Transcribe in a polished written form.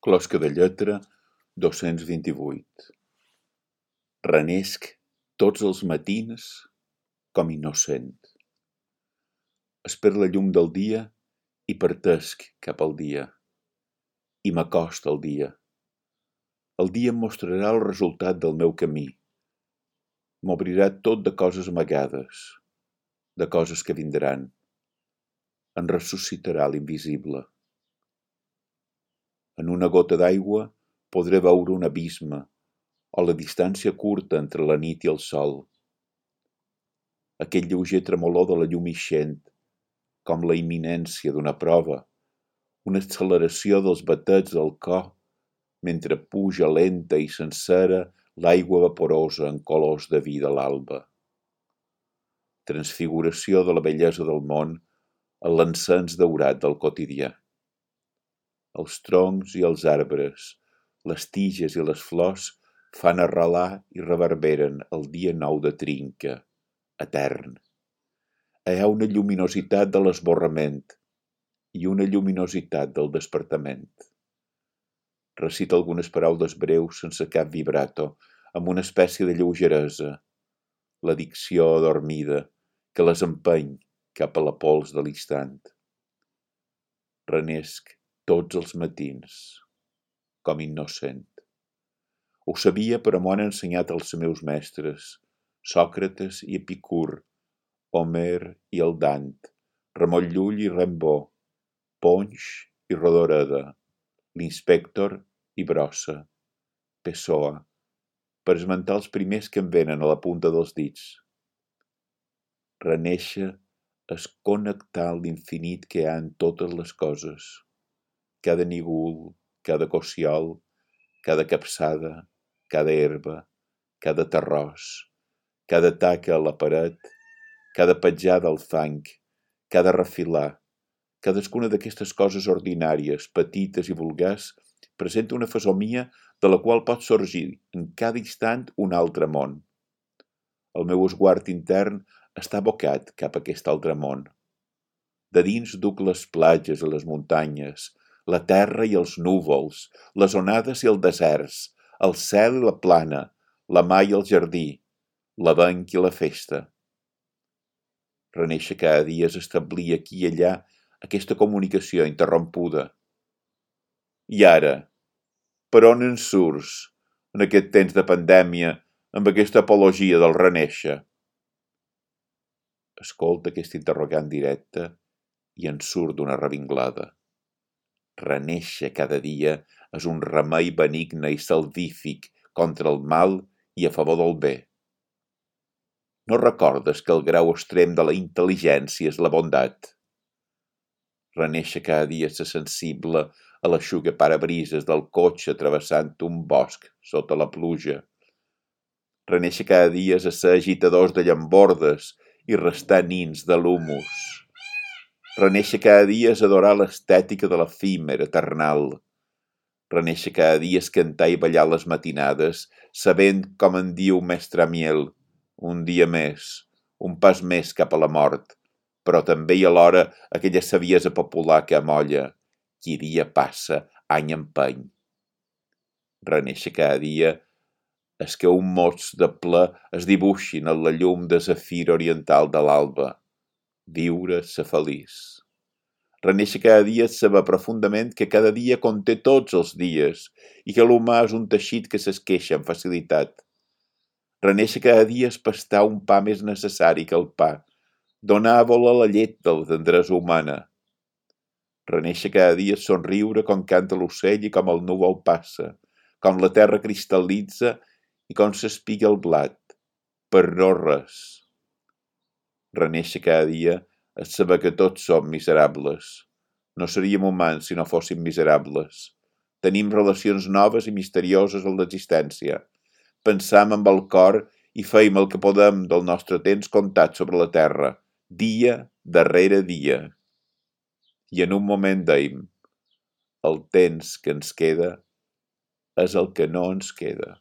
Closca de lletra 228. Renesc tots els matins com innocent. Espero la llum del dia i partesc cap al dia. I m'acosta el dia. El dia em mostrarà el resultat del meu camí. M'obrirà tot de coses amagades, de coses que vindran. En ressuscitarà l'invisible. En una gota d'aigua podré veure un abisme o la distància curta entre la nit i el sol. Aquell lleuger tremolor de la llum ixent, com la imminència d'una prova, una acceleració dels batets del cor mentre puja lenta i sencera l'aigua vaporosa en colors de vi de l'alba. Transfiguració de la bellesa del món en l'encens daurat del quotidià. Els troncs i els arbres, les tiges i les flors fan arrelar i reverberen el dia nou de trinca, etern. Hi ha una lluminositat de l'esborrament i una lluminositat del despertament. Recita algunes paraules breus sense cap vibrato, amb una espècie de lleugeresa, la dicció adormida que les empeny cap a la pols de l'instant. Renesc tots els matins, com innocent. Ho sabia, però m'ho han ensenyat els meus mestres, Sòcrates i Epicur, Homer i el Dant, Ramon Llull i Rimbaud, Ponx i Rodoreda, l'Inspector i Brossa, Pessoa, per esmentar els primers que em venen a la punta dels dits. Renéixer és connectar l'infinit que hi ha en totes les coses. Cada nígol, cada cossiol, cada capçada, cada herba, cada terròs, cada taca a la paret, cada petjada al fang, cada refilar, cadascuna d'aquestes coses ordinàries, petites i vulgars, presenta una fesomia de la qual pot sorgir en cada instant un altre món. El meu esguard intern està abocat cap a aquest altre món. De dins duc les platges i les muntanyes, la terra i els núvols, les onades i els deserts, el cel i la plana, la mà i el jardí, l'avenc i la festa. Renéixer cada dia és establir aquí i allà aquesta comunicació interrompuda. I ara, per on en surts, en aquest temps de pandèmia, amb aquesta apologia del renéixer? Escolta aquest interrogant directe i en surt d'una revinglada. Renéixer cada dia és un remei benigne i salvífic contra el mal i a favor del bé. No recordes que el grau extrem de la intel·ligència és la bondat? Renéixer cada dia és ser sensible a l'eixugaparabrises del cotxe travessant un bosc sota la pluja. Renéixer cada dia és ser agitadors de llambordes i restar nins de l'humus. Renéixer cada dia és adorar l'estètica de l'efímer eternal. Renéixer cada dia és cantar i ballar les matinades, sabent, com en diu mestre Amiel, un dia més, un pas més cap a la mort, però també i alhora aquella saviesa popular que amolla, qui dia passa, any empeny. Renéixer cada dia és que un mots de ple es dibuixin en la llum de zafir oriental de l'alba. Viure, ser feliç. Renéixer cada dia és saber profundament que cada dia conté tots els dies i que l'humà és un teixit que s'esqueixa amb facilitat. Renéixer cada dia és pastar un pa més necessari que el pa, donar a voler la llet de la tendresa humana. Renéixer cada dia és somriure com canta l'ocell i com el núvol passa, com la terra cristal·litza i com s'espiga el blat, per no res. Renéixer cada dia és saber que tots som miserables. No seríem humans si no fóssim miserables. Tenim relacions noves i misterioses en l'existència. Pensam amb el cor i feim el que podem del nostre temps comptat sobre la terra, dia darrere dia. I en un moment deim, el temps que ens queda és el que no ens queda.